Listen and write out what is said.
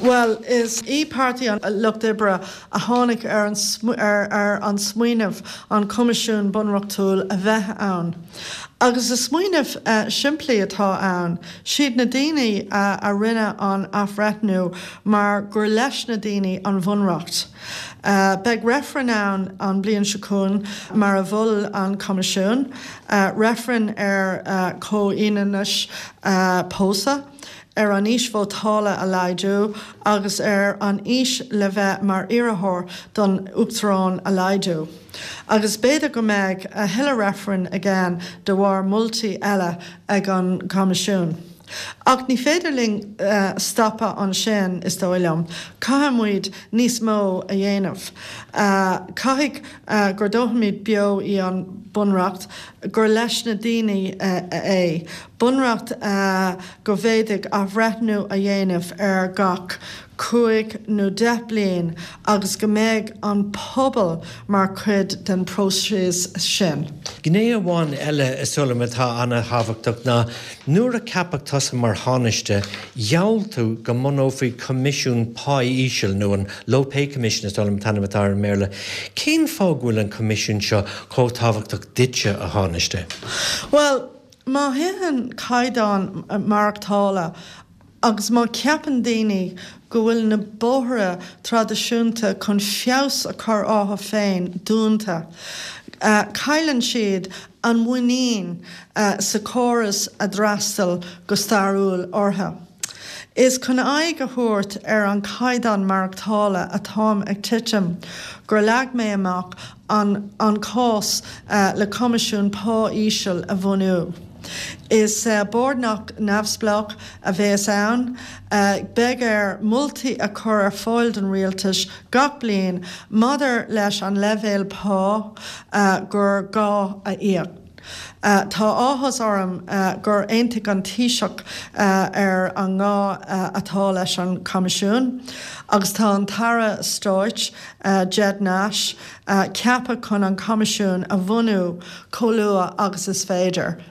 Bhuel, is í Páirtí an Lucht Oibre a tháinig ar ar an smaoineamh an Coimisiún Bunreachtúil a bheith ann. Agus is smaoineamh simplí atá ann. Siad na daoine a rinne an athbhreithniú mar gur leis na daoine an Bhunreacht. Beidh reifreann ann an bliain seo chugainn mar a mhol an Coimisiún, reifreann ar chomhionannas pósadh, ar an aois vótála a laghdú agus ar an aois le bheith mar iarrthóir don Uachtarán a laghdú. Agus b'fhéidir go mbeidh a thuilleadh reifreann again de bharr moltaí eile ag an gCoimisiún. Ach ní féidir linn stopadh ansin, is dóigh liom. Caithfidh muid níos mó a dhéanamh. Caithfidh gur doiciméad beo í an Bunreacht, gur leis na daoine é. Bunreacht go bhféadfaí athbhreithniú a dhéanamh ar gach 5 nó 10 bliain agus go mbeidh an pobal mar chuid den próiseas sin. Gné amháin eile is dóigh liom atá an-thábhachtach ná nuair a ceapadh tusa mar Thánaiste, gheall tú go mbunófaí coimisiún páí íseal, nó an Low Pay Commission is dóigh liom an t-ainm atá air i mBéarla. Cén fáth go bhfuil an coimisiún seo chomh tábhachtach duitse, a Thánaiste? Bhuel, Má thiteann caighdeán maireachtála agus má cheapann daoine go bhfuil na bóithre traidisiúnta chun feabhas a chur orthu féin dúnta, cailleann siad an mhuinín sa chóras a d'fhreastail go stairiúil orthu. Is chun aghaidh a thabhairt ar an chaighdeán maireachtála atá ag titim gur leag mé amach an an cás le Coimisiún Pá Íseal a bhunú. Is bord neamhspleách a bheas ann. Beidh air moltaí a chur ar fáil don Rialtas gach bliain maidir leis an leibhéal pá gur gá a íoc. Tá áthas orm gur aontaigh an Taoiseach ar an ngá atá leis an Choimisiún agus tá an tAire Stáit, Ged Nash, ceaptha chun an Coimisiún a bhunú chomh luath agus is féidir.